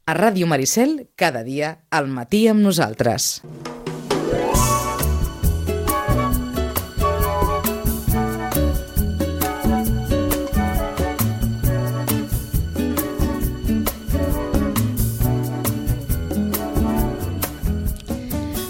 A Ràdio Maricel, cada dia, al matí amb nosaltres.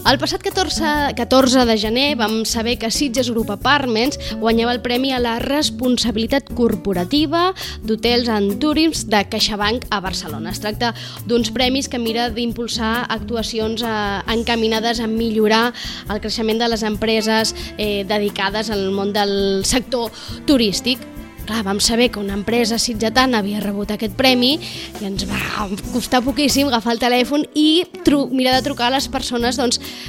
El passat 14 de gener vam saber que Sitges Group Apartments guanyava el Premi a la Responsabilitat Corporativa d'Hotels and Tourism de CaixaBank a Barcelona. Es tracta d'uns premis que mira d'impulsar actuacions encaminades a millorar el creixement de les empreses dedicades al món del sector turístic. Clar, vam saber que una empresa sitgetana havia rebut aquest premi i ens va costar poquíssim agafar el telèfon i mirar de trucar a les persones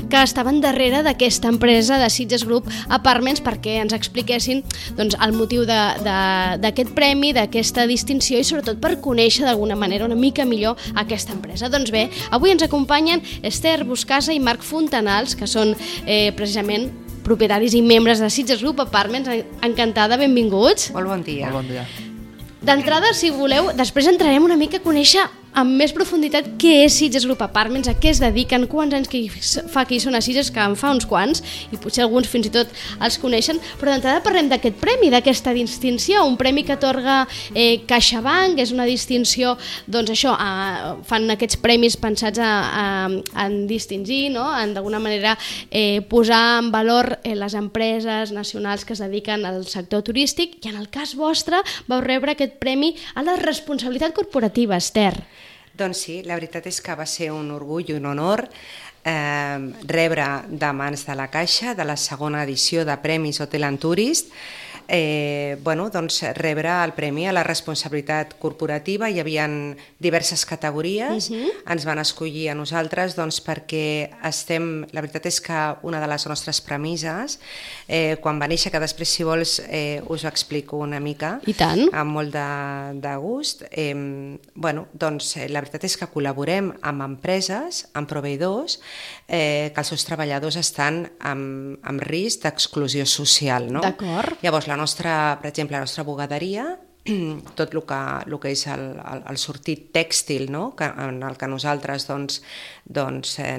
que estaven darrere d'aquesta empresa de Sitges Group Apartments perquè ens expliquessin el motiu d'aquest premi, d'aquesta distinció i sobretot per conèixer d'alguna manera una mica millor aquesta empresa. Doncs bé, avui ens acompanyen Esther Buscasa i Marc Fontanals, que són precisament propietaris i membres de Sitges Group Apartments. Encantada, benvinguts. Molt bon dia. Molt bon dia. D'entrada, si voleu, després entrarem una mica a conèixer amb més profunditat què és Sitges Group Apartments, a què es dediquen, quants anys que fa que hi són a Sitges, que en fa uns quants, i potser alguns fins i tot els coneixen, però d'entrada parlem d'aquest premi, d'aquesta distinció, un premi que atorga CaixaBank, és una distinció, doncs això, fan aquests premis pensats en distingir, no? En d'alguna manera posar en valor les empreses nacionals que es dediquen al sector turístic, i en el cas vostre vau rebre aquest premi a la responsabilitat corporativa, Esther. Doncs sí, la veritat és que va ser un orgull i un honor rebre de mans de la Caixa, de la segona edició de Premis Hotel and Tourist, rebre el premi a la responsabilitat corporativa. Hi havia diverses categories, ens van escollir a nosaltres perquè la veritat és que una de les nostres premisses, quan va néixer, que després si vols us ho explico una mica, i tant, amb molt de gust, la veritat és que col·laborem amb empreses, amb proveïdors, que els seus treballadors estan en risc d'exclusió social, no? D'acord. Llavors, per exemple, la nostra bugaderia, tot el que és el sortit tèxtil, no? En el que nosaltres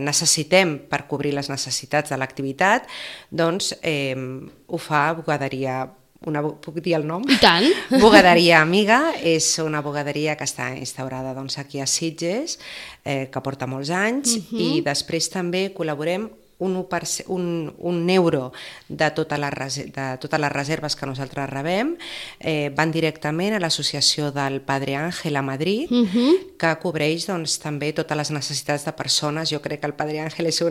necessitem per cobrir les necessitats de l'activitat, ho fa bugaderia. Puc dir el nom? I tant! Bugaderia Amiga és una bugaderia que està instaurada aquí a Sitges, que porta molts anys, i després també col·laborem un euro de totes les reserves que nosaltres rebem van directament a l'associació del Padre Ángel a Madrid, que cobreix també totes les necessitats de persones. Jo crec que el Padre Ángel és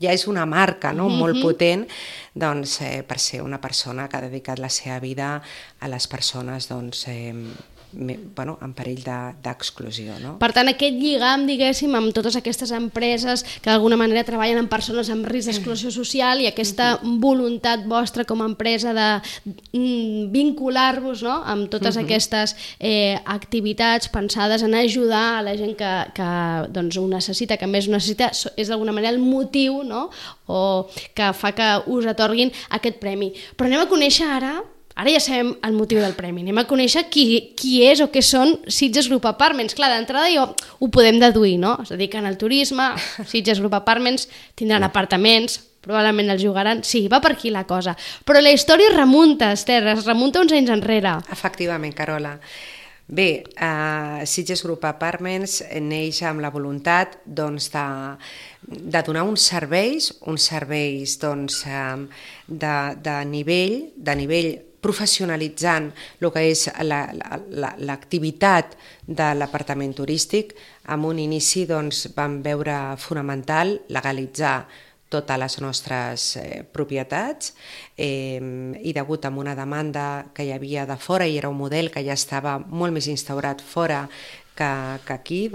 ja és una marca, no? Molt potent, per ser una persona que ha dedicat la seva vida a les persones en perill d'exclusió, no? Per tant, aquest lligam, diguéssim, amb totes aquestes empreses que d'alguna manera treballen amb persones amb risc d'exclusió social, i aquesta voluntat vostra com a empresa de vincular-vos, no?, amb totes aquestes activitats pensades en ajudar a la gent que ho necessita, que més ho necessita, és d'alguna manera el motiu, no?, o que fa que us atorguin aquest premi. Però anem a conèixer ara ja sabem el motiu del premi, anem a conèixer qui és o què són Sitges Group Apartments. Clar, d'entrada ho podem deduir, no? Es dediquen al turisme, Sitges Group Apartments tindran apartaments, probablement els jugaran, sí, va per aquí la cosa. Però la història es remunta, Esther, uns anys enrere. Efectivament, Carola. Bé, Sitges Group Apartments neix amb la voluntat de donar uns serveis de nivell professionalitzant el que és l'activitat de l'apartament turístic. Amb un inici vam veure fonamental legalitzar totes les nostres propietats i degut a una demanda que hi havia de fora, i era un model que ja estava molt més instaurat fora que aquí,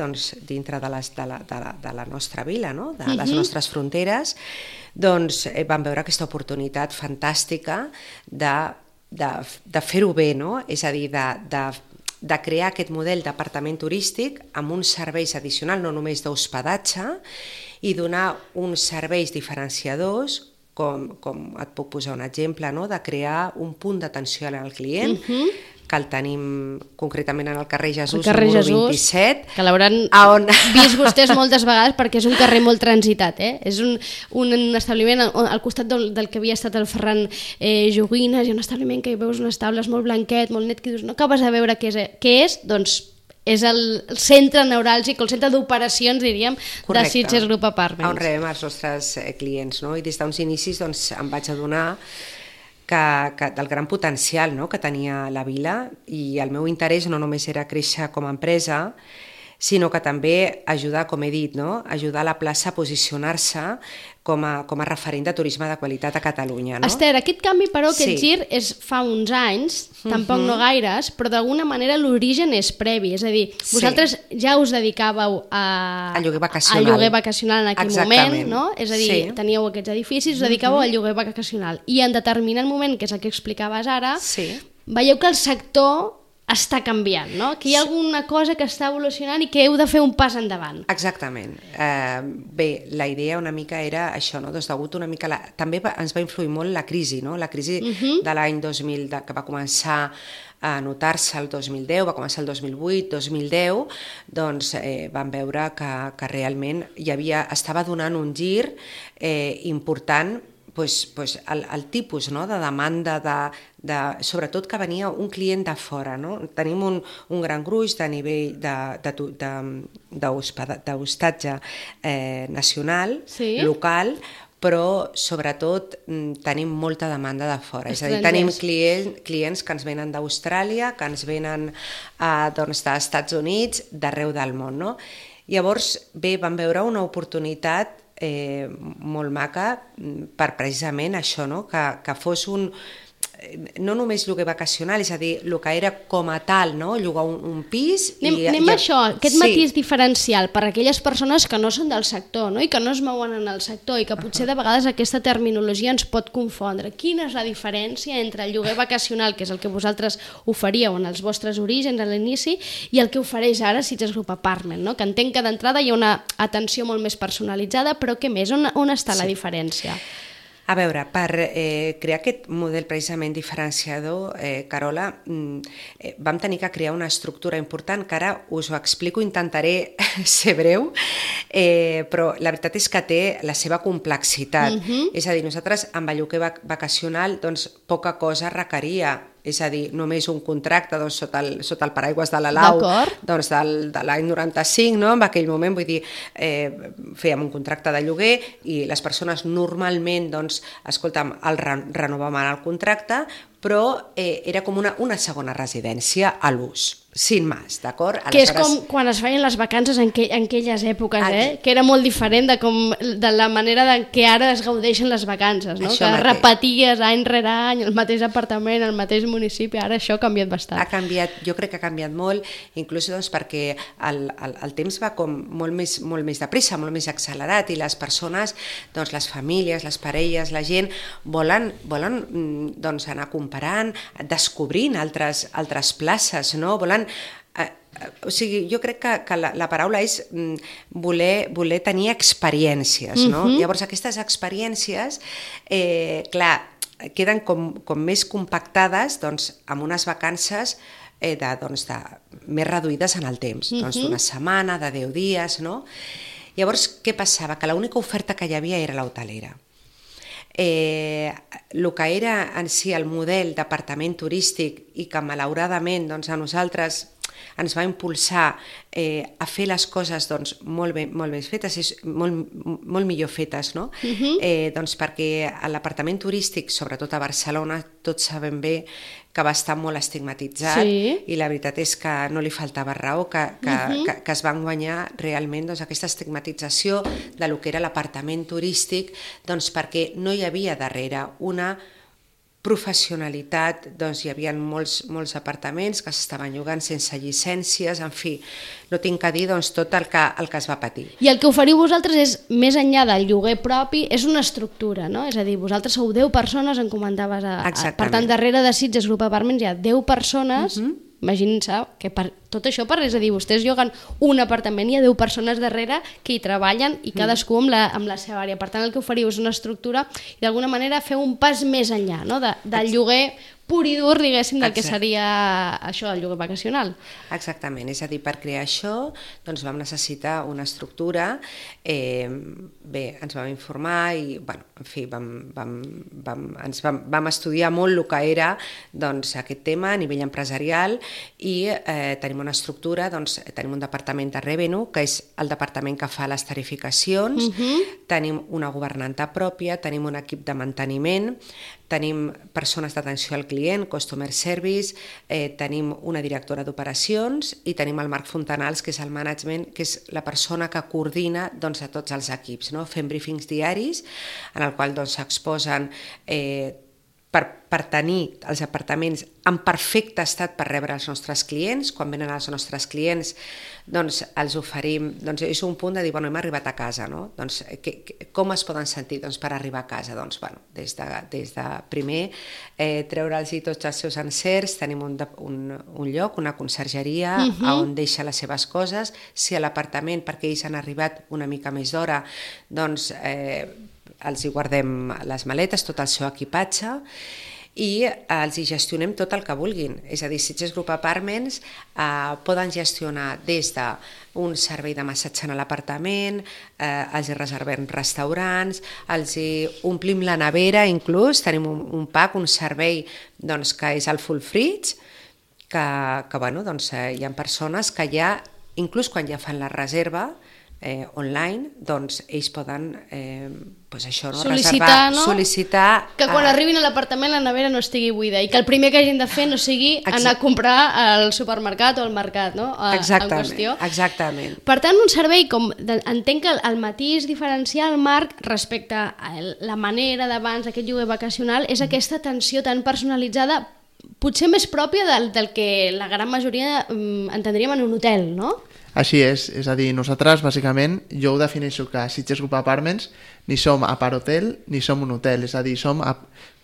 dintre de la nostra vila, no? De les nostres fronteres, vam veure aquesta oportunitat fantàstica de fer-ho bé, no? És a dir, de crear aquest model d'apartament turístic amb uns serveis addicionals, no només d'hospedatge, i donar uns serveis diferenciadors, com et puc posar un exemple, no? De crear un punt d'atenció al client, que el tenim concretament en el carrer Jesús, el carrer número Jesús, 27. Que l'hauran vist vostès moltes vegades perquè és un carrer molt transitat. És un establiment al costat del que havia estat el Ferran Joguines, hi ha un establiment que hi veus unes taules molt blanquet, molt net, que dius, no acabes de veure què és, doncs és el centre neuràlgic, el centre d'operacions, diríem, de Sitges Group Apartments. On rebem els nostres clients, no? I des d'uns inicis doncs, em vaig adonar que del gran potencial, no?, que tenia la vila, i el meu interès no només era créixer com a empresa, sinó que també ajudar, com he dit, no?, ajudar la plaça a posicionar-se com a referent de turisme de qualitat a Catalunya. No? Esther, aquest canvi, però, aquest gir és fa uns anys, tampoc no gaires, però d'alguna manera l'origen és previ, és a dir, vosaltres ja us dedicàveu al lloguer vacacional en aquell moment, no? És a dir, teníeu aquests edificis, us dedicàveu al lloguer vacacional, i en determinat moment, que és el que explicaves ara, veieu que el sector està canviant, no? Que hi ha alguna cosa que està evolucionant i que heu de fer un pas endavant. Exactament. Bé, la idea una mica era això, no? Doncs degut una mica... També ens va influir molt la crisi, no? La crisi de l'any 2000, que va començar a notar-se el 2010, va començar el 2008, 2010, doncs vam veure que realment estava donant un gir important, el tipus, no?, de demanda, sobretot que venia un client de fora. No? Tenim un gran gruix de nivell d'hostatge nacional, local, però sobretot tenim molta demanda de fora. És a dir, tenim clients que ens venen d'Austràlia, que ens venen dels Estats Units, d'arreu del món. No? Llavors, vam veure una oportunitat molt maca per precisament això, no? Que fos no només lloguer vacacional, és a dir, el que era com a tal, no? Llogar un pis... Anem a això, aquest matís diferencial per a aquelles persones que no són del sector, no? I que no es mouen en el sector i que potser de vegades aquesta terminologia ens pot confondre. Quina és la diferència entre el lloguer vacacional, que és el que vosaltres oferíeu en els vostres orígens a l'inici, i el que ofereix ara Sitges Group Apartment, no? Que entenc que d'entrada hi ha una atenció molt més personalitzada, però què més? On està la diferència? A veure, per crear aquest model precisament diferenciador, Carola, vam tenir que crear una estructura important, que ara us ho explico, intentaré ser breu, però la veritat és que té la seva complexitat. És a dir, nosaltres amb el lloguer vacacional doncs, poca cosa requeria, és a dir, només un contracte doncs, sota el paraigües de la lau doncs, de l'any 95, no? En aquell moment, vull dir, fèiem un contracte de lloguer i les persones normalment, doncs, escolta'm, renovaven el contracte, però era com una segona residència a l'ús, sin más, d'acord? Que és com quan es feien les vacances en aquelles èpoques, que era molt diferent de la manera en què ara es gaudeixen les vacances, no? Que repeties any rere any el mateix apartament, el mateix municipi, ara això ha canviat bastant. Ha canviat, jo crec que ha canviat molt, inclús doncs, perquè el temps va com molt més de pressa, molt més accelerat, i les persones, doncs, les famílies, les parelles, la gent, volen doncs, anar comparant, descobrint altres places, no? Volen... O sigui, jo crec que la paraula és voler tenir experiències, no? Llavors, aquestes experiències, clar, queden com més compactades doncs, amb unes vacances més reduïdes en el temps, doncs d'una setmana, de 10 dies, no? Llavors, què passava? Que l'única oferta que hi havia era l'hotelera. El que era en si el model d'apartament turístic i que malauradament doncs, a nosaltres ens va impulsar a fer les coses doncs, molt més fetes, molt millor fetes, no? Doncs perquè l'apartament turístic, sobretot a Barcelona, tots sabem bé que va estar molt estigmatitzat, i la veritat és que no li faltava raó, que es van guanyar realment doncs, aquesta estigmatització de lo que era l'apartament turístic, doncs, perquè no hi havia darrere una professionalitat, doncs hi havia molts apartaments que s'estaven llogant sense llicències, en fi, no tinc a dir doncs, tot el que es va patir. I el que oferiu vosaltres és, més enllà del lloguer propi, és una estructura, no? És a dir, vosaltres sou 10 persones, em comentaves, per tant, darrere de Sitges Group Apartments hi ha 10 persones, imaginin-se que per tot això és a dir, vostès lloguen un apartament i hi ha 10 persones darrere que hi treballen i cadascú amb la seva àrea. Per tant, el que oferiu és una estructura i d'alguna manera feu un pas més enllà, no? Del lloguer pur i dur, diguéssim, del que seria això, el lloguer vacacional. Exactament, és a dir, per crear això doncs vam necessitar una estructura, bé, ens vam informar i, bueno, en fi, vam estudiar molt el que era doncs, aquest tema a nivell empresarial i tenim una estructura, doncs, tenim un departament de revenue, que és el departament que fa les tarificacions, tenim una governanta pròpia, tenim un equip de manteniment, tenim persones d'atenció al client, customer service, tenim una directora d'operacions i tenim el Marc Fontanals, que és el management, que és la persona que coordina doncs, a tots els equips. No? Fem briefings diaris en el qual s'exposen per tenir els apartaments en perfecte estat per rebre els nostres clients. Quan venen els nostres clients doncs els oferim, doncs és un punt de dir, bueno, hem arribat a casa, no? Doncs com es poden sentir per arribar a casa? Doncs, bueno, des de primer treure'ls tots els seus encerts, tenim un lloc, una consergeria on deixa les seves coses. Si a l'apartament, perquè ells han arribat una mica més d'hora, doncs els hi guardem les maletes, tot el seu equipatge, i els hi gestionem tot el que vulguin. És a dir, Sitges Group Apartments poden gestionar des d'un servei de massatge a l'apartament, els hi reservem restaurants, els hi omplim la nevera, inclús tenim un pack, un servei que és el full fridge, que bueno, hi ha persones que ja, inclús quan ja fan la reserva, online, doncs ells poden sol·licitar que quan arribin a l'apartament la nevera no estigui buida i que el primer que hagin de fer no sigui anar a comprar al supermercat o al mercat, no? Exactament. Per tant, un servei com entenc que el matís diferencial, Marc, respecte a la manera d'abans d'aquest lloguer vacacional és aquesta atenció tan personalitzada, potser més pròpia del que la gran majoria entendríem en un hotel, no? Així és a dir, nosaltres, bàsicament, jo ho defineixo que a Sitges Group Apartments ni som apart-hotel ni som un hotel, és a dir, som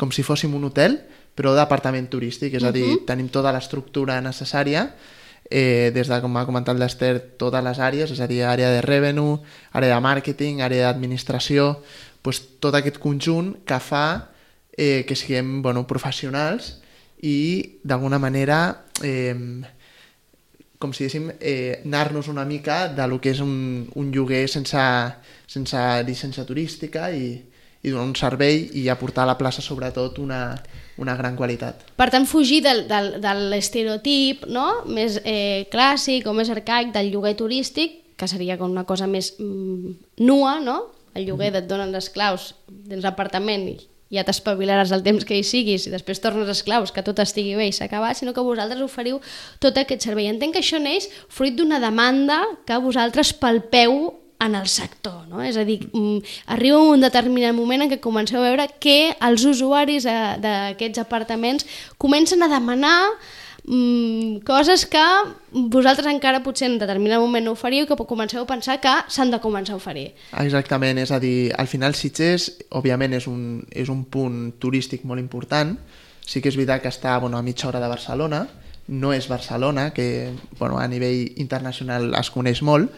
com si fóssim un hotel, però d'apartament turístic, és a dir, tenim tota l'estructura necessària, des de, com ha comentat l'Ester, totes les àrees, és a dir, àrea de revenue, àrea de màrqueting, àrea d'administració, tot aquest conjunt que fa que siguem professionals i, d'alguna manera, com si diguéssim, anar-nos una mica de lo que és un lloguer sense llicència turística i donar un servei i aportar a la plaça, sobretot, una gran qualitat. Per tant, fugir de l'estereotip, no? Més clàssic o més arcaic del lloguer turístic, que seria com una cosa més nua, no? El lloguer et donen les claus dins l'apartament i ja t'espavilaràs el temps que hi siguis i després tornes esclaus, que tot estigui bé i s'ha acabat, sinó que vosaltres oferiu tot aquest servei. Entenc que això neix fruit d'una demanda que vosaltres palpeu en el sector, no? És a dir, arriba un determinat moment en què comenceu a veure que els usuaris d'aquests apartaments comencen a demanar coses que vosaltres encara potser en determinat moment no oferiu, que comenceu a pensar que s'han de començar a oferir. Exactament, és a dir, al final Sitges, òbviament, és un punt turístic molt important. Sí que és veritat que està a mitja hora de Barcelona, no és Barcelona, que a nivell internacional es coneix molt,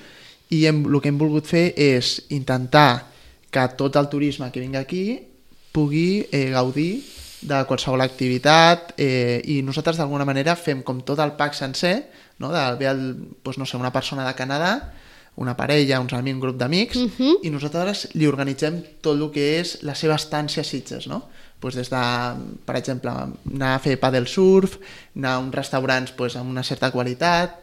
i el que hem volgut fer és intentar que tot el turisme que vingui aquí pugui gaudir de qualsevol activitat i nosaltres d'alguna manera fem com tot el pack sencer, no? Ve una persona de Canadà, una parella, uns amics, un grup d'amics, i nosaltres li organitzem tot el que és la seva estància a Sitges, no? Des de, per exemple, anar a fer paddle surf, anar a uns restaurants amb una certa qualitat,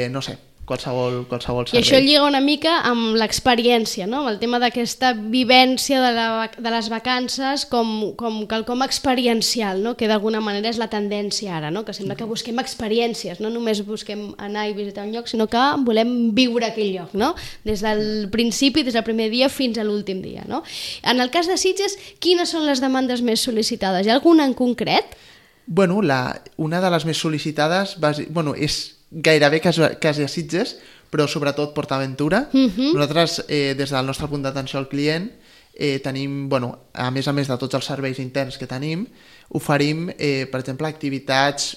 no sé, qualsevol servei. I això lliga una mica amb l'experiència, no? Amb el tema d'aquesta vivència de les vacances com quelcom experiencial, no? Que d'alguna manera és la tendència ara, no? Que sembla que busquem experiències, no només busquem anar i visitar un lloc, sinó que volem viure aquell lloc, no? Des del principi, des del primer dia fins a l'últim dia, no? En el cas de Sitges, quines són les demandes més sol·licitades? Hi ha alguna en concret? Una de les més sol·licitades és gairebé quasi a Sitges, però sobretot PortAventura. Nosaltres, des del nostre punt d'atenció al client, tenim, a més de tots els serveis interns que tenim, oferim, per exemple, activitats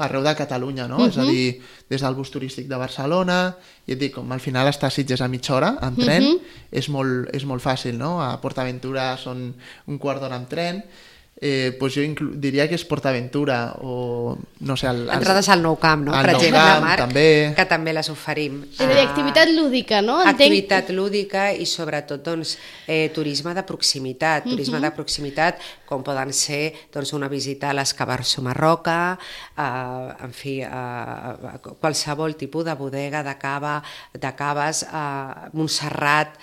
arreu de Catalunya, no? És a dir, des del bus turístic de Barcelona, i et dic, com al final està a Sitges a mitja hora, en tren, és molt fàcil, no? A PortAventura són un quart d'hora amb tren, doncs jo diria que és PortAventura o no sé... Entrades al Nou Camp, no? Per exemple, Nou Camp, Marc, també. que també les oferim. És a dir, activitat lúdica, no? Activitat lúdica i sobretot turisme de proximitat. Turisme de proximitat, com poden ser una visita a l'Escabarso Marroca, en fi, qualsevol tipus de bodega, de caves, Montserrat.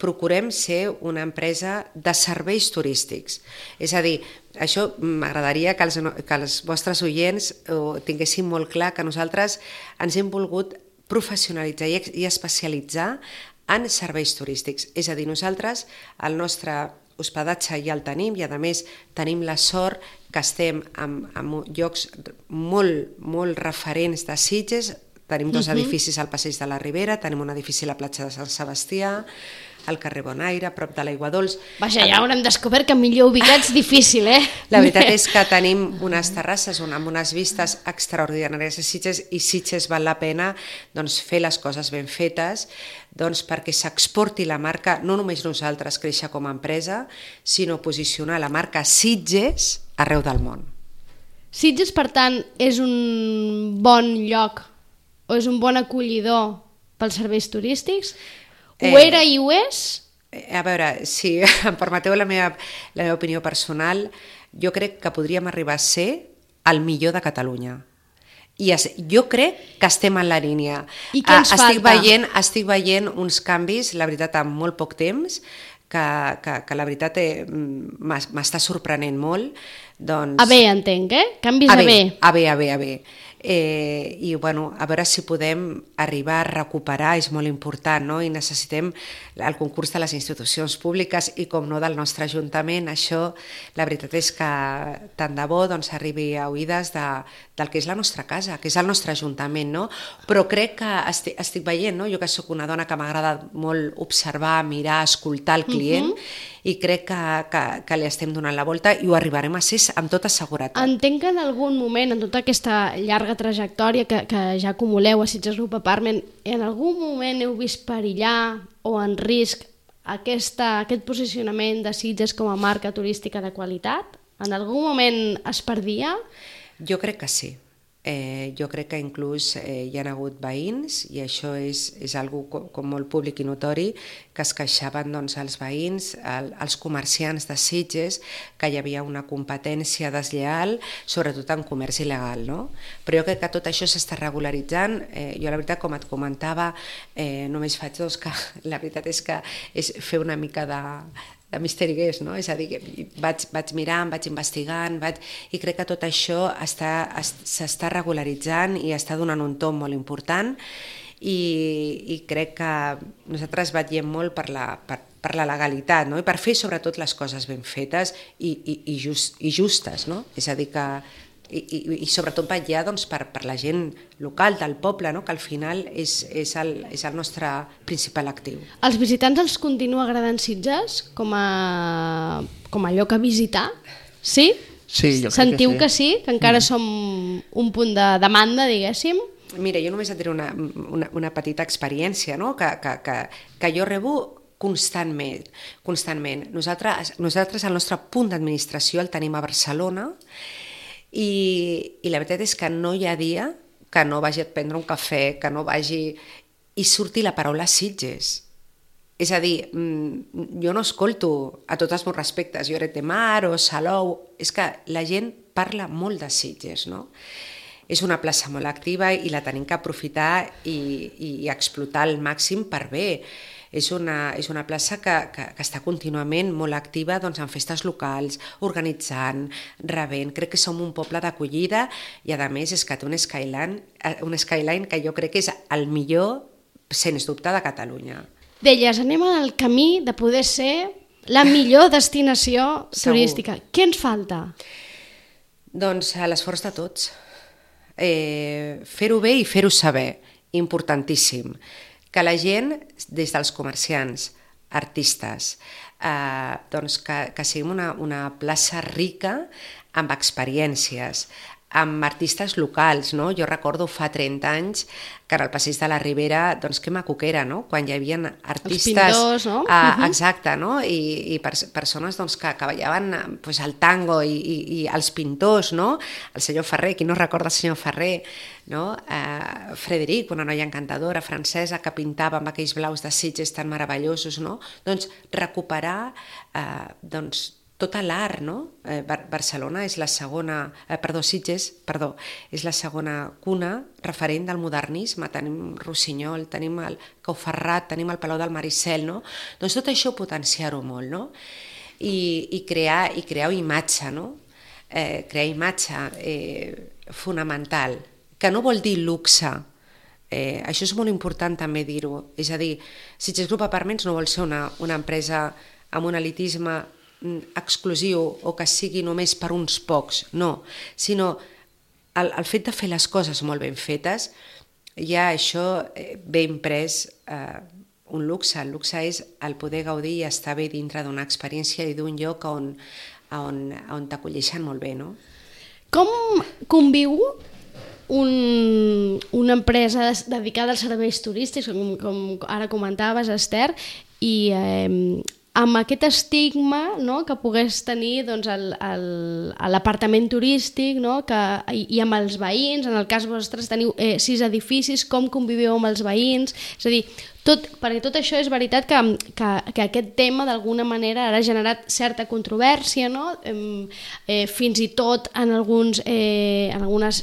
Procurem ser una empresa de serveis turístics. És a dir, això m'agradaria que els vostres oients ho tinguessin molt clar, que nosaltres ens hem volgut professionalitzar i especialitzar en serveis turístics. És a dir, nosaltres el nostre hospedatge ja el tenim i a més tenim la sort que estem en llocs molt referents de Sitges. Tenim dos edificis al Passeig de la Ribera, tenim un edifici a la platja de Sant Sebastià, al carrer Bonaire, a prop de l'Aigua Dols. Vaja, ja haurem descobert que millor ubicats difícil, La veritat és que tenim unes terrasses amb unes vistes extraordinàries a Sitges i Sitges val la pena fer les coses ben fetes perquè s'exporti la marca, no només nosaltres créixer com a empresa, sinó posicionar la marca Sitges arreu del món. Sitges, per tant, és un bon lloc o és un bon acollidor pels serveis turístics? Ho era i ho és? A veure, si em permeteu la meva opinió personal, jo crec que podríem arribar a ser el millor de Catalunya. I jo crec que estem en la línia. I què ens falta? Estic veient uns canvis, la veritat, en molt poc temps, que la veritat m'està sorprenent molt. A bé, entenc, Canvis a bé. A bé. I a veure si podem arribar a recuperar, és molt important, no? I necessitem el concurs de les institucions públiques i com no del nostre Ajuntament. Això la veritat és que tant de bo arribi a oïdes del que és la nostra casa, que és el nostre Ajuntament, no? Però crec que estic veient, no? Jo que sóc una dona que m'agrada molt observar, mirar, escoltar el client, i crec que li estem donant la volta i ho arribarem a ser amb tota seguretat. Entenc que en algun moment, en tota aquesta llarga trajectòria que ja acumuleu a Sitges Group Apartment, en algun moment heu vist perillar o en risc aquest posicionament de Sitges com a marca turística de qualitat? En algun moment es perdia? Jo crec que sí. Jo crec que inclús hi ha hagut veïns, i això és algo com molt públic i notori, que es queixaven els veïns, els comerciants de Sitges, que hi havia una competència deslleial, sobretot en comerç il·legal, no? Però jo crec que tot això s'està regularitzant. Jo la veritat, com et comentava, només faig que la veritat és que és fer una mica de misteri guest, no? És a dir, que vaig mirant, vaig investigant, i crec que tot això s'està regularitzant i està donant un tomb molt important, i crec que nosaltres vetllem molt per la legalitat, no? I per fer sobretot les coses ben fetes i justes, no? És a dir que i sobretot vetllar per la gent local, del poble, no? Que al final és el nostre principal actiu. Els visitants els continua agradant Sitges com a lloc a visitar? Sí? Sí, jo crec Sentiu que sí. Que encara som un punt de demanda, diguéssim? Mira, jo només et diré una petita experiència, no? Que jo rebo constantment. Nosaltres el nostre punt d'administració el tenim a Barcelona, i la veritat és que no hi ha dia que no vagi a prendre un cafè, que no vagi i surti la paraula Sitges. És a dir, jo no escolto, a tots els meus respectes, Lloret de Mar o Salou, és que la gent parla molt de Sitges, no? És una plaça molt activa i la tenim que aprofitar i explotar al màxim per bé. És una plaça que està contínuament molt activa en festes locals, organitzant, rebent. Crec que som un poble d'acollida i a més és que té un skyline que jo crec que és el millor, sens dubte, de Catalunya. Deies, anem al camí de poder ser la millor destinació turística. Què ens falta? Doncs l'esforç de tots. Fer-ho bé i fer-ho saber, importantíssim. Que la gent, des dels comerciants, artistes, que siguem una plaça rica amb experiències, amb artistes locals, no? Jo recordo fa 30 anys que en el Passeig de la Ribera, doncs que maco que era, no? Quan hi havia artistes... Els pintors, no? Exacte, no? I persones doncs, que ballaven pues, el tango i els pintors, no? El senyor Ferrer, qui no recorda el senyor Ferrer, no? Frederic, una noia encantadora francesa que pintava amb aquells blaus de Sitges tan meravellosos, no? Doncs recuperar doncs, tot l'art, no? Barcelona és la segona... Sitges, és la segona cuna referent del modernisme. Tenim Rossinyol, tenim el Cauferrat, tenim el Palau del Maricel, no? Doncs tot això potenciar-ho molt, no? I crear imatge, no? Crear imatge fonamental, que no vol dir luxe. Això és molt important també dir-ho. És a dir, Sitges Group Apartments no vol ser una empresa amb un elitisme exclusiu o que sigui només per uns pocs, no, sinó el fet de fer les coses molt ben fetes, ja això ve imprès un luxe. El luxe és el poder gaudir i estar bé dintre d'una experiència i d'un lloc on t'acolleixen molt bé, no? Com conviu una empresa dedicada als serveis turístics, com ara comentaves, Esther, i amb aquest estigma, no, que pogués tenir doncs, l'apartament turístic, no, i amb els veïns? En el cas vostre teniu 6 edificis, com conviviu amb els veïns? És a dir, perquè tot això és veritat que aquest tema d'alguna manera ara ha generat certa controvèrsia, no? Fins i tot en algunes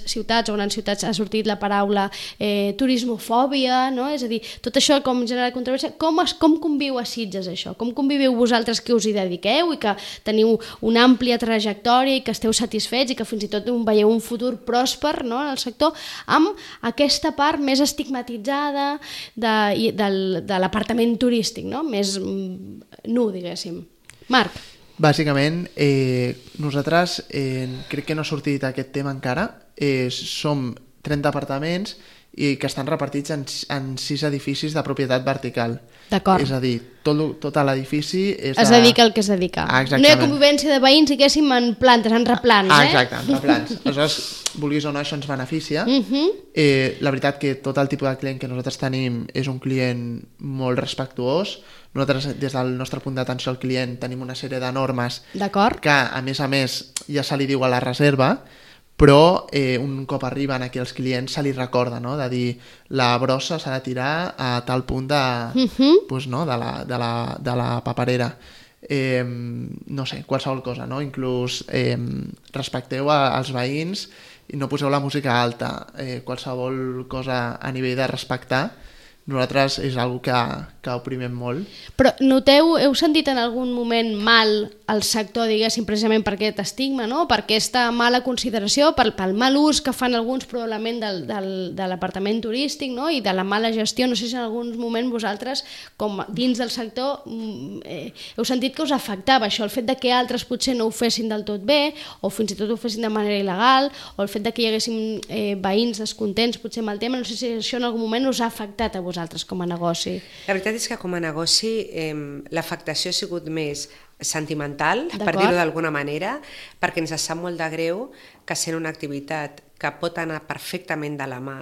ciutats o grans ciutats ha sortit la paraula turismofòbia, no? És a dir, tot això com genera controvèrsia. Com conviu a Sitges això? Com conviviu vosaltres que us hi dediqueu i que teniu una àmplia trajectòria i que esteu satisfets i que fins i tot veieu un futur pròsper, no, en el sector, amb aquesta part més estigmatitzada de l'apartament turístic, no? Més nu, diguéssim. Marc. Bàsicament, nosaltres crec que no ha sortit aquest tema encara. Som 30 apartaments i que estan repartits en 6 edificis de propietat vertical. D'acord. És a dir, tot l'edifici és es dedica al que es dedica. Exactament. No hi ha convivència de veïns, diguéssim, en plantes, en replans, Exacte, en replans. Aleshores, vulguis o no, això ens beneficia. La veritat que tot el tipus de client que nosaltres tenim és un client molt respectuós. Nosaltres, des del nostre punt d'atenció al client, tenim una sèrie de normes que, a més, ja se li diu a la reserva, però un cop arriben aquí els clients se li recorda, no? De dir, la brossa s'ha de tirar a tal punt pues, no? de la paperera. No sé, qualsevol cosa, no? Inclús respecteu als veïns i no poseu la música alta. Qualsevol cosa a nivell de respectar, nosaltres és una cosa que oprimem molt. Però heu sentit en algun moment mal al sector, diguéssim, precisament per aquest estigma, no? Per aquesta mala consideració, pel mal ús que fan alguns probablement de l'apartament turístic, no? I de la mala gestió? No sé si en algun moment vosaltres, com dins del sector, heu sentit que us afectava això, el fet de que altres potser no ho fessin del tot bé, o fins i tot ho fessin de manera il·legal, o el fet de que hi haguessin veïns descontents potser amb el tema. No sé si això en algun moment us ha afectat a vosaltres com a negoci. La veritat és que com a negoci l'afectació ha sigut més sentimental, per dir-ho d'alguna manera, perquè ens sap molt de greu que sent una activitat que pot anar perfectament de la mà,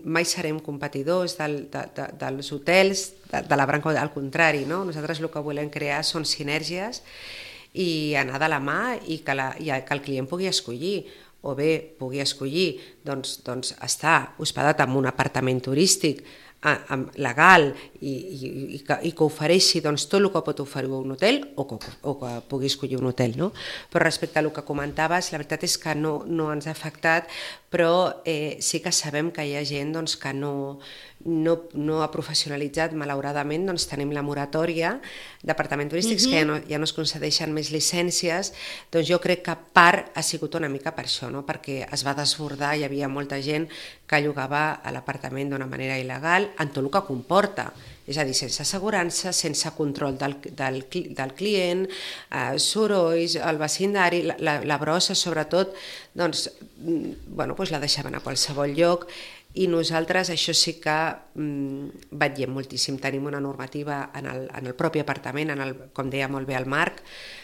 mai serem competidors dels hotels, de la branca, al contrari, no? Nosaltres el que volem crear són sinergies i anar de la mà i que el client pugui escollir, o bé pugui escollir doncs estar hospedat en un apartament turístic legal i que ofereixi tot el que pot oferir un hotel o que pugui escollir un hotel, no? Però respecte a el que comentaves, la veritat és que no ens ha afectat, però sí que sabem que hi ha gent que no ha professionalitzat. Malauradament tenim la moratòria d'apartaments turístics que ja no es concedeixen més llicències. Doncs jo crec que part ha sigut una mica per això, no? Perquè es va desbordar, hi havia molta gent que llogava a l'apartament d'una manera il·legal, en tot el que comporta, és a dir, sense assegurança, sense control del client, sorolls, el vecindari, la brossa sobretot, la deixaven a qualsevol lloc I nosaltres això sí que vetllem moltíssim. Tenim una normativa en el propi apartament, com deia molt bé el Marc,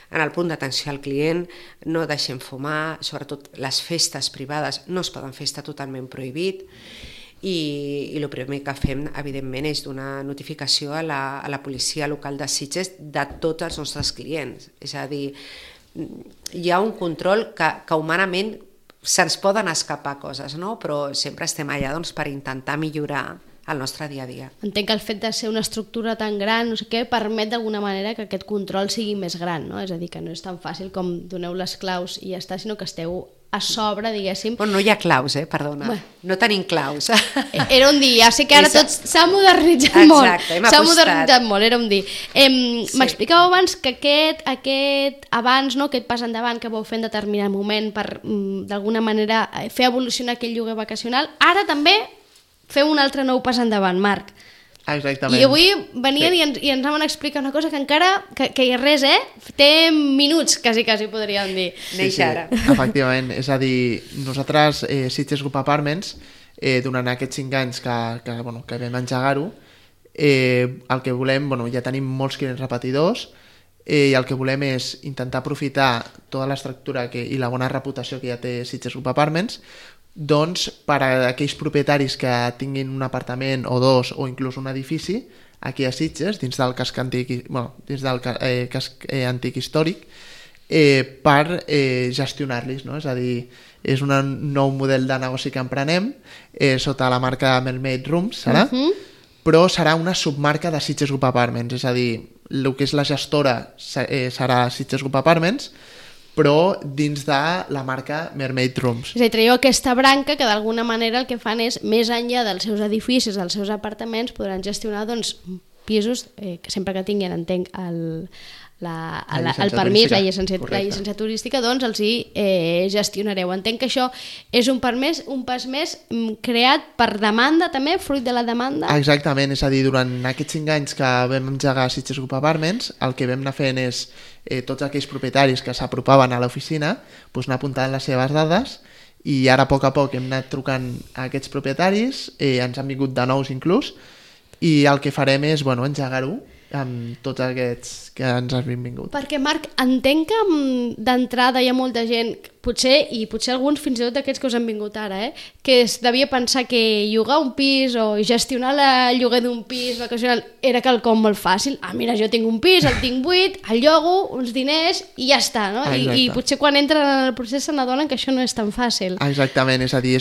en el punt d'atenció al client, no deixem fumar, sobretot les festes privades no es poden fer, està totalment prohibit, i el primer que fem, evidentment, és donar notificació a la policia local de Sitges de tots els nostres clients. És a dir, hi ha un control que humanament se'ns poden escapar coses, no? Però sempre estem allà per intentar millorar el nostre dia a dia. Entenc que el fet de ser una estructura tan gran, no sé què, permet d'alguna manera que aquest control sigui més gran, no? És a dir, que no és tan fàcil com doneu les claus i ja està, sinó que esteu a sobre, diguéssim. Bueno, no hi ha claus, perdona. Bueno. No tenim claus. Era un dir, ja sé que ara tot s'ha modernitzat molt. Exacte, hem apostat. S'ha modernitzat molt, era un dir. M'explicàveu abans que aquest abans, no, aquest pas endavant que vau fer en determinat moment per, d'alguna manera, fer evolucionar aquell lloguer vacacional, ara també feu un altre nou pas endavant, Marc. Exactament. I avui venien i ens van explicar una cosa que encara, que res, té minuts, quasi podríem dir. Neix ara. Efectivament, és a dir, nosaltres, Sitges Group Apartments, durant aquests 5 anys que vam engegar-ho, el que volem, ja tenim molts clients repetidors, i el que volem és intentar aprofitar tota l'estructura i la bona reputació que ja té Sitges Group Apartments, doncs per a aquells propietaris que tinguin un apartament o dos o inclús un edifici aquí a Sitges, dins del casc antic, casc antic històric, per gestionar-los, no? És a dir, és un nou model de negoci que emprenem sota la marca Melmade Rooms, serà? Però serà una submarca de Sitges Group Apartments, és a dir, el que és la gestora serà Sitges Group Apartments, però dins de la marca Mermaid Rooms. És a dir, traieu aquesta branca que d'alguna manera el que fan és, més enllà dels seus edificis, dels seus apartaments, podran gestionar pisos que sempre que tinguin, entenc, el permís, la llicència turística, doncs els hi gestionareu. Entenc que això és un pas més creat per demanda també, fruit de la demanda? Exactament, és a dir, durant aquests 5 anys que vam engegar Sitges Group Apartments, el que vam anar fent és tots aquells propietaris que s'apropaven a l'oficina anar apuntant les seves dades, i ara a poc hem anat trucant a aquests propietaris, ens han vingut de nous inclús, i el que farem és engegar-ho amb tots aquests que ens han vingut. Perquè, Marc, entenc que d'entrada hi ha molta gent, potser alguns fins i tot d'aquests que us han vingut ara, que es devia pensar que llogar un pis o gestionar el lloguer d'un pis vacacional era quelcom molt fàcil. Mira, jo tinc un pis, el tinc buit, el llogo, uns diners i ja està, no? I potser quan entren en el procés se n'adonen que això no és tan fàcil. Exactament, és a dir,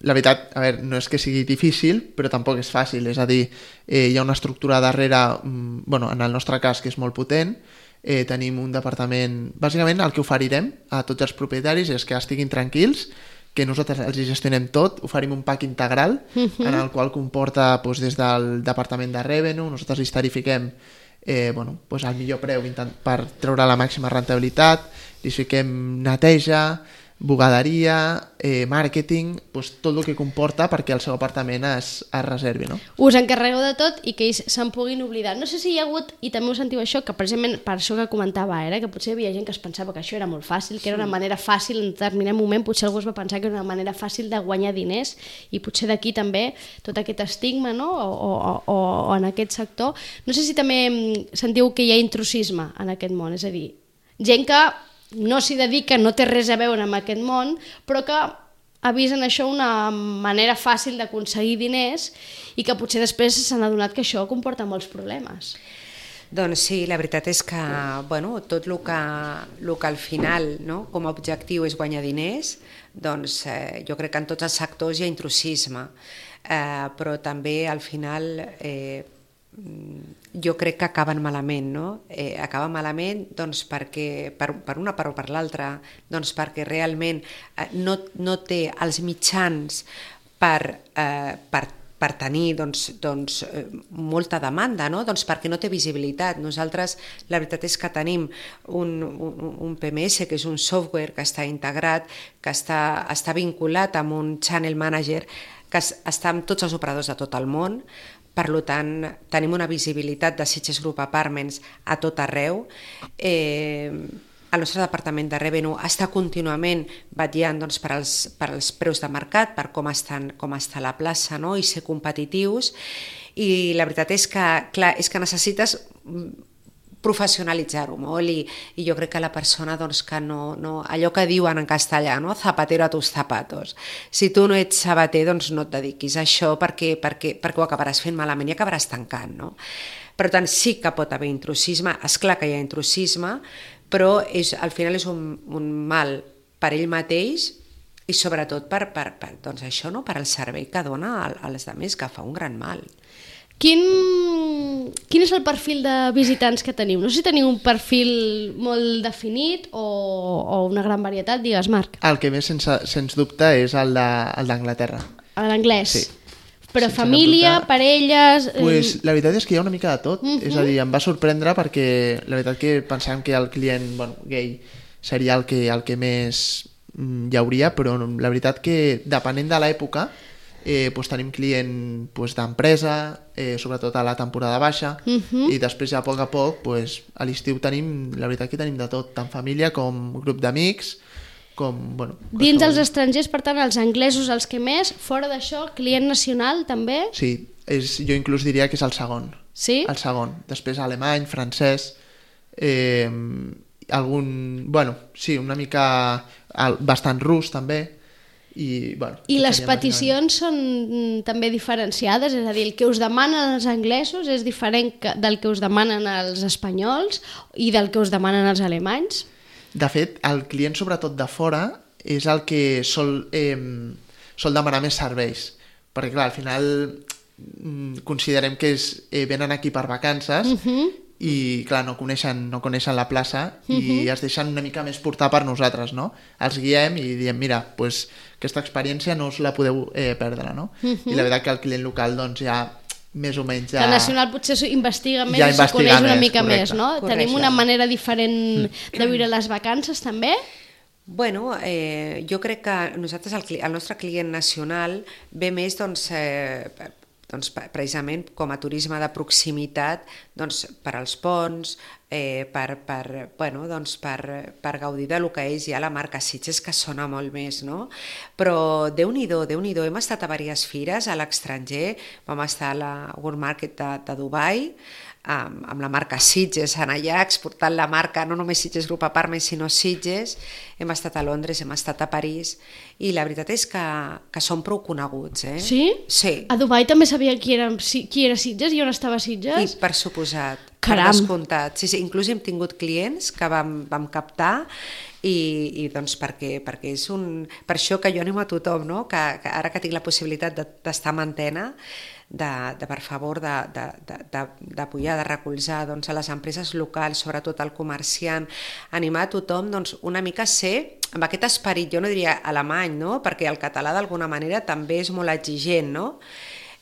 la veritat, no és que sigui difícil, però tampoc és fàcil, és a dir, hi ha una estructura darrere, en el nostre cas, que és molt potent, tenim un departament, bàsicament el que oferirem a tots els propietaris és que estiguin tranquils, que nosaltres els gestionem tot, oferim un pack integral, en el qual comporta des del departament de revenue, nosaltres els tarifiquem al millor preu per treure la màxima rentabilitat, li fiquem neteja, bugaderia, màrqueting, tot el que comporta perquè el seu apartament es reservi, no? Us encarregueu de tot i que ells se'n puguin oblidar. No sé si hi ha hagut, i també ho sentiu això, que precisament per això que comentava que potser hi havia gent que es pensava que això era molt fàcil, que era una manera fàcil, en determinat moment potser algú es va pensar que era una manera fàcil de guanyar diners, i potser d'aquí també tot aquest estigma, no? o en aquest sector. No sé si també sentiu que hi ha intrusisme en aquest món, és a dir, gent que no s'hi dedica, no té res a veure amb aquest món, però que ha vist en això una manera fàcil d'aconseguir diners i que potser després s'han adonat que això comporta molts problemes. Doncs sí, la veritat és que tot el que al final, com a objectiu és guanyar diners, doncs jo crec que en tots els sectors hi ha intrusisme, però també al final jo crec que acaben malament, no? Acaben malament perquè, per una part o per l'altra, perquè realment no té els mitjans per tenir molta demanda, no? Perquè no té visibilitat. Nosaltres la veritat és que tenim un PMS, que és un software que està integrat, que està vinculat amb un channel manager que està amb tots els operadors de tot el món. Per tant, tenim una visibilitat de Sitges Group Apartments a tot arreu. el nostre departament de Revenue està contínuament vetllant doncs, per als preus de mercat, per com està la plaça, no? I ser competitius. I la veritat és que, clar, necessites professionalitzar-ho molt i jo crec que la persona doncs, que no, allò que diuen en castellà, no? Zapatero a tus zapatos. Si tu no ets sabater, doncs no et dediquis a això perquè ho acabaràs fent malament i acabaràs tancant, no? Per tant, sí que pot haver intrusisme, és clar que hi ha intrusisme, però al final és un mal per ell mateix i sobretot doncs això, no? Per al servei que dona als altres, que fa un gran mal. Quin és el perfil de visitants que teniu? No sé si teniu un perfil molt definit o una gran varietat, digues, Marc. El que més, sens dubte, és el d'Anglaterra. L'anglès? Sí. Però sí, família, parelles... Pues, la veritat és que hi ha una mica de tot. És a dir, em va sorprendre perquè la veritat que pensàvem que el client gay seria el que més hi hauria, però la veritat que depenent de l'època tenim client d'empresa, sobretot a la temporada baixa, i després ja a poc a l'estiu tenim, la veritat que tenim de tot, tant família com grup d'amics, com... Dins dels estrangers, per tant, els anglesos els que més, fora d'això, client nacional també? Sí, jo inclús diria que és el segon. Sí? El segon. Després alemany, francès, sí, una mica bastant rus també. I les peticions són també diferenciades? És a dir, el que us demanen els anglesos és diferent del que us demanen els espanyols i del que us demanen els alemanys? De fet, el client sobretot de fora és el que sol demanar més serveis, perquè clar, al final considerem que venen aquí per vacances i clar, no coneixen la plaça i es deixen una mica més portar per nosaltres, no? Els guiem i diem, mira, aquesta experiència no us la podeu perdre, no? I la veritat que el client local doncs ja més o menys ja... El nacional potser investiga més i s'ho coneix una mica més, no? Correcte. Tenim una manera diferent de viure les vacances també? Bueno, jo crec que nosaltres, el nostre client nacional ve més precisament com a turisme de proximitat per als ponts, per gaudir del que és ja la marca Sitges, que sona molt més, no? Però Déu-n'hi-do, hem estat a diverses fires a l'estranger, vam estar a la World Market de Dubai, amb la marca Sitges en allà, exportant la marca no només Sitges Group Apartments sinó Sitges. Hem estat a Londres, hem estat a París i la veritat és que són prou coneguts. Sí? Sí. A Dubai també sabia qui era Sitges i on estava Sitges? I per suposat, Caram. Per descomptat. Sí, inclús hem tingut clients que vam captar i doncs perquè és per això que jo animo a tothom, no? que ara que tinc la possibilitat d'estar en antena, per favor d'apoyar, de recolzar a les empreses locals, sobretot al comerciant, animar a tothom una mica a ser amb aquest esperit, jo no diria alemany, no? Perquè el català d'alguna manera també és molt exigent, no?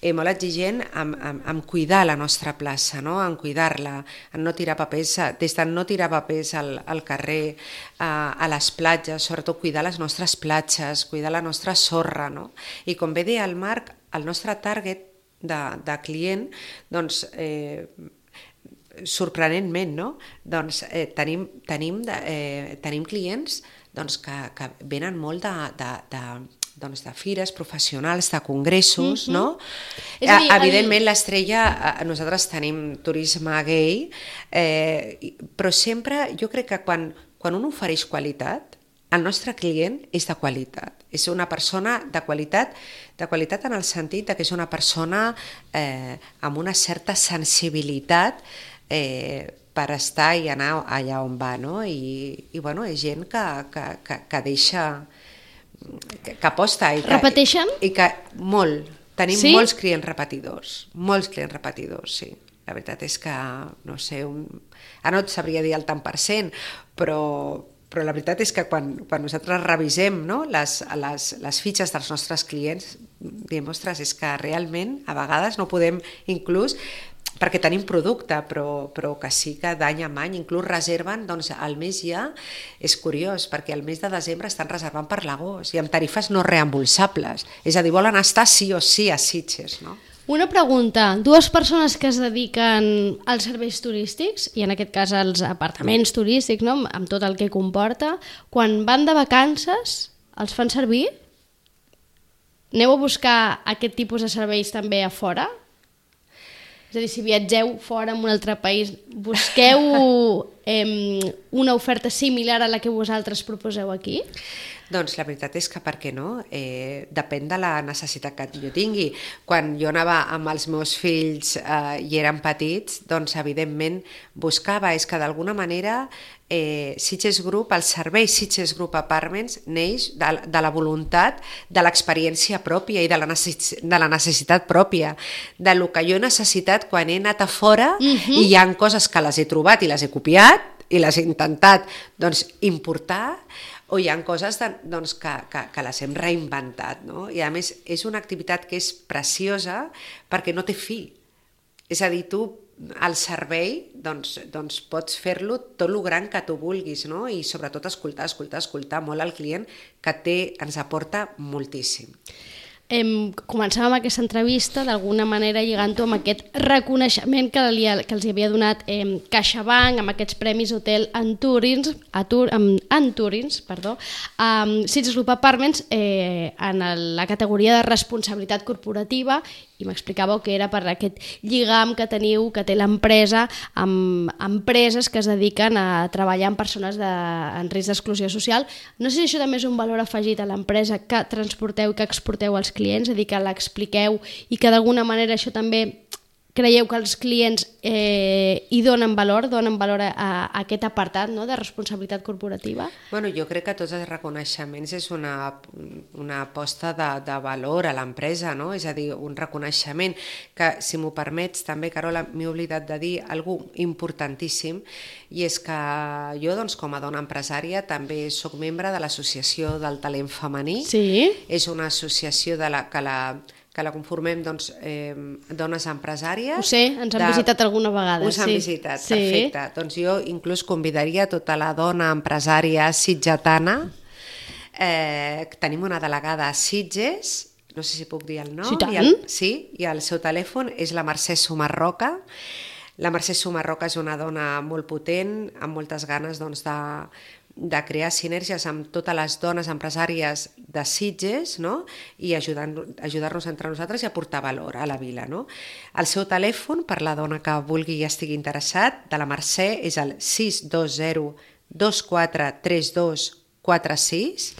Molt exigent en cuidar la nostra plaça, no? En cuidar-la, en no tirar papers, des de no tirar papers al carrer, a les platges, sobretot cuidar les nostres platges, cuidar la nostra sorra, no? I com bé deia el Marc, el nostre target de client, doncs sorprenentment, no? Doncs tenim clients que venen molt de fires professionals, de congressos, no? És a dir, evidentment l'estrella, nosaltres tenim turisme gay, però sempre jo crec que quan un ofereix qualitat, el nostre client és de qualitat, és una persona de qualitat en el sentit que és una persona amb una certa sensibilitat per estar i anar allà on va, no? I bueno, és gent que deixa, que aposta. Repeteixen? I que molt. Tenim molts clients repetidors, sí. La veritat és que, no sé, ara no et sabria dir el tant per cent, però la veritat és que quan nosaltres revisem, no, les fitxes dels nostres clients, diem, ostres, és que realment a vegades no podem inclús, perquè tenim producte, però que sí que d'any en any inclús reserven, doncs al mes ja és curiós, perquè al mes de desembre estan reservant per l'agost i amb tarifes no reembolsables, és a dir, volen estar sí o sí a Sitges, no? Una pregunta, dues persones que es dediquen als serveis turístics, i en aquest cas als apartaments turístics, no? Amb tot el que comporta, quan van de vacances, els fan servir? Aneu a buscar aquest tipus de serveis també a fora? És a dir, si viatgeu fora en un altre país, busqueu una oferta similar a la que vosaltres proposeu aquí? Doncs la veritat és que per què no? Depèn de la necessitat que jo tingui. Quan jo anava amb els meus fills i eren petits, doncs evidentment buscava, és que d'alguna manera Sitges Group, el servei Sitges Group Apartments neix de la voluntat, de l'experiència pròpia i de la necessitat pròpia, de lo que jo he necessitat quan he anat a fora i hi ha coses que les he trobat i les he copiat i les he intentat importar, o hi ha coses que les hem reinventat, no? I a més és una activitat que és preciosa perquè no té fi. És a dir, tu al servei pots fer-lo tot el gran que tu vulguis, no? I sobretot escoltar molt al client, que ens aporta moltíssim. Començàvem aquesta entrevista d'alguna manera lligant-ho amb aquest reconeixement que els hi havia donat CaixaBank amb aquests premis Hotel Anturins, Sitges Group Apartments en la categoria de responsabilitat corporativa, i m'explicàveu que era per aquest lligam que teniu, que té l'empresa amb empreses que es dediquen a treballar amb persones en risc d'exclusió social. No sé si això també és un valor afegit a l'empresa que transporteu i que exporteu als clients, és a dir, que l'expliqueu i que d'alguna manera això també creieu que els clients hi donen valor a aquest apartat, no?, de responsabilitat corporativa? Bueno, jo crec que tots els reconeixements és una aposta de valor a l'empresa, no? És a dir, un reconeixement que, si m'ho permets, també, Carola, m'he oblidat de dir alguna cosa importantíssim, i és que jo, com a dona empresària, també sóc membre de l'Associació del Talent Femení. Sí. És una associació que la conformem dones empresàries. Ho sé, ens han visitat alguna vegada. Us han visitat, perfecte. Doncs jo inclús convidaria tota la dona empresària sitgetana. Tenim una delegada a Sitges, no sé si puc dir el nom. Sí, tant. Sí, i el seu telèfon és la Mercè Sumarroca. La Mercè Sumarroca és una dona molt potent, amb moltes ganes de crear sinergies amb totes les dones empresàries de Sitges, no? I ajudar-nos entre nosaltres i aportar valor a la vila, no? El seu telèfon, per la dona que vulgui i estigui interessat, de la Mercè, és el 620 2432 46,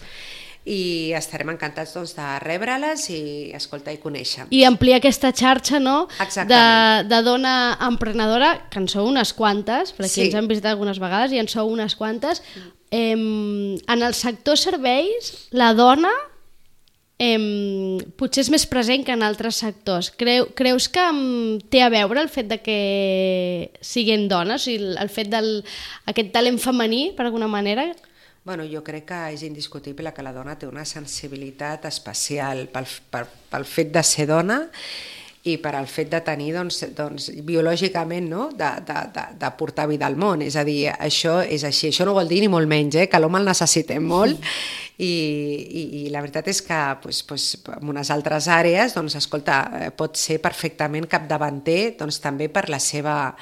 i estarem encantats de rebre-les i escoltar i conèixer. I ampliar aquesta xarxa, no?, de dona emprenedora, que en sou unes quantes, per aquí ens han visitat algunes vegades i en sou unes quantes. En el sector serveis, la dona potser és més present que en altres sectors. Creus que té a veure el fet de que siguin dones, el fet d'aquest talent femení, per alguna manera? Bueno, jo crec que és indiscutible que la dona té una sensibilitat especial pel fet de ser dona i per al fet de tenir, biològicament, no?, de portar vida al món. És a dir, això és així. Això no vol dir ni molt menys, que l'home el necessitem molt, i la veritat és que en unes altres àrees, escolta, pot ser perfectament capdavanter, també per la seva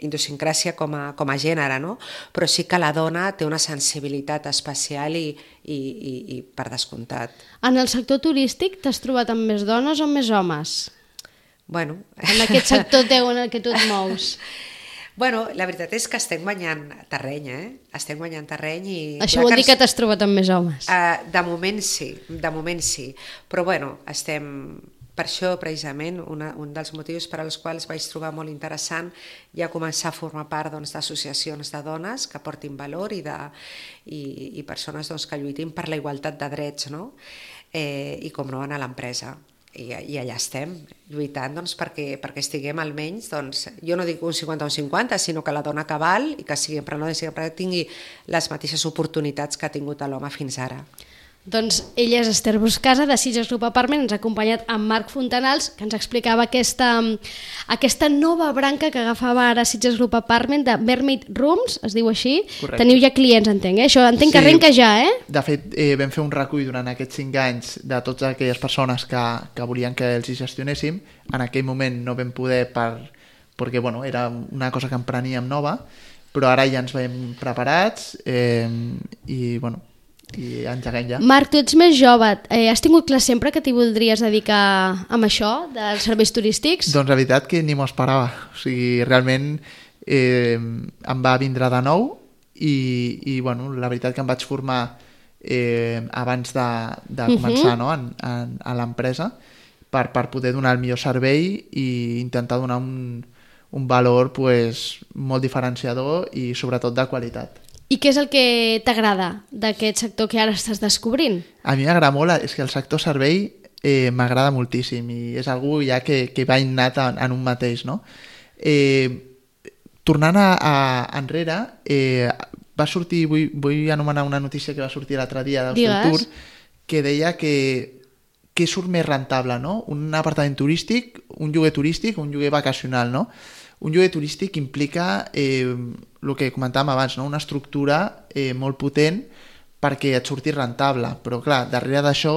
idiosincràsia com a gènere, no? Però sí que la dona té una sensibilitat especial i per descomptat. En el sector turístic t'has trobat amb més dones o més homes? Bueno. En aquest sector teu en el que tu et mous. Bueno, la veritat és que estem guanyant terreny, Estem guanyant terreny i... Això vol dir que t'has trobat amb més homes? De moment sí. Però bueno, estem... Per això, precisament, un dels motius per als quals vaig trobar molt interessant ja començar a formar part d'associacions de dones que portin valor i persones que lluitin per la igualtat de drets, no? I com no, a l'empresa. I allà estem, lluitant perquè estiguem almenys, jo no dic un 50 o un 50, sinó que la dona que val i que sigui emprenedora i que tingui les mateixes oportunitats que ha tingut l'home fins ara. Doncs ella és Esther Buscasa, de Sitges Group Apartment, ens ha acompanyat amb Marc Fontanals, que ens explicava aquesta nova branca que agafava ara Sitges Group Apartment de Mermaid Rooms, es diu així. Correcte. Teniu ja clients, entenc, Això entenc que arrenca ja, De fet, vam fer un recull durant aquests 5 anys de totes aquelles persones que volien que els hi gestionéssim. En aquell moment no vam poder perquè era una cosa que empreníem nova, però ara ja ens veiem preparats i engeguem ja. Marc, tu ets més jove, has tingut clar sempre que t'hi voldries dedicar amb això, dels serveis turístics? Doncs la veritat que ni m'ho esperava. O sigui, realment em va vindre de nou i la veritat que em vaig formar abans de començar a l'empresa per poder donar el millor servei i intentar donar un valor molt diferenciador i sobretot de qualitat. I què és el que t'agrada d'aquest sector que ara estàs descobrint? A mi m'agrada molt, és que el sector servei m'agrada moltíssim i és algú ja que va innat en un mateix, no? Tornant enrere, va sortir, vull anomenar una notícia que va sortir l'altre dia d'Hosteltour, que deia que surt més rentable, no? Un apartament turístic, un lloguer turístic o un lloguer vacacional, no? Un lloguer turístic implica el que comentàvem abans, no? Una estructura molt potent perquè et surti rentable, però clar, darrere d'això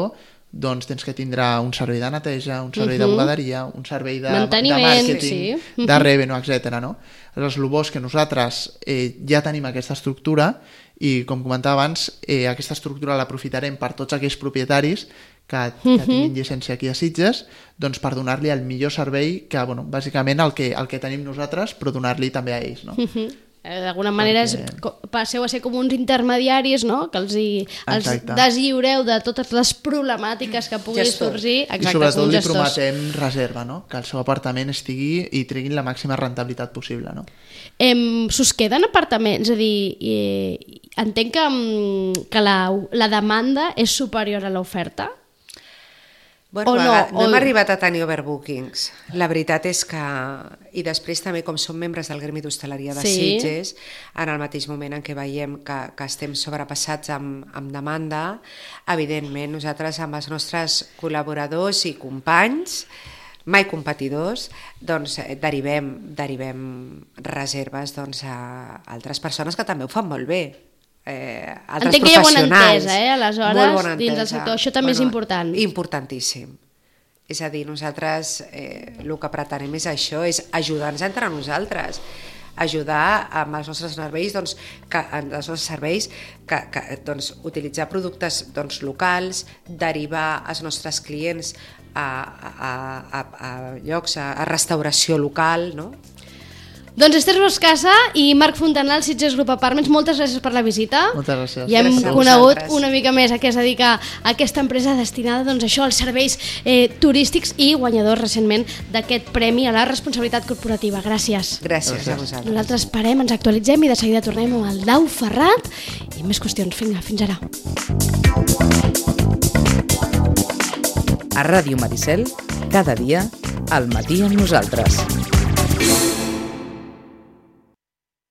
doncs tens que tindre un servei de neteja, un servei de bugaderia, un servei de màrqueting, de revenue, etc. No? Aleshores, el bo és que nosaltres ja tenim aquesta estructura i, com comentava abans, aquesta estructura l'aprofitarem per tots aquells propietaris que tinguin llicència aquí a Sitges, doncs per donar-li el millor servei que, bàsicament el que tenim nosaltres, però donar-li també a ells, no? D'alguna manera passeu a ser com uns intermediaris, no? Que els deslliureu de totes les problemàtiques que puguin sorgir. I sobretot li prometem reserva, no? Que el seu apartament estigui i treguin la màxima rentabilitat possible, no? S'us queden apartaments? És a dir, entenc que la demanda és superior a l'oferta? No hem arribat a tenir overbookings. La veritat és que, i després també com som membres del Gremi d'Hostaleria de Sitges, en el mateix moment en què veiem que estem sobrepassats amb demanda, evidentment nosaltres amb els nostres col·laboradors i companys, mai competidors, doncs derivem reserves a altres persones que també ho fan molt bé. Altres entenc que hi ha bona professionals. entesa, aleshores, dins del sector. Això també és important. Importantíssim. És a dir, nosaltres el que pretenem és això, és ajudar-nos entre nosaltres, ajudar amb els nostres serveis, utilitzar productes locals, derivar els nostres clients a llocs, a restauració local, no? Doncs Esther Buscasa i Marc Fontanals, Sitges Group Apartments, moltes gràcies per la visita. Moltes gràcies. Ja hem conegut una mica més a què es dedica aquesta empresa destinada als serveis turístics i guanyadors recentment d'aquest premi a la responsabilitat corporativa. Gràcies. Gràcies a vosaltres. Nosaltres parem, ens actualitzem i de seguida tornem amb el Dau Ferrat i més qüestions. Vinga, fins ara. A Ràdio Maricel, cada dia, al matí amb nosaltres.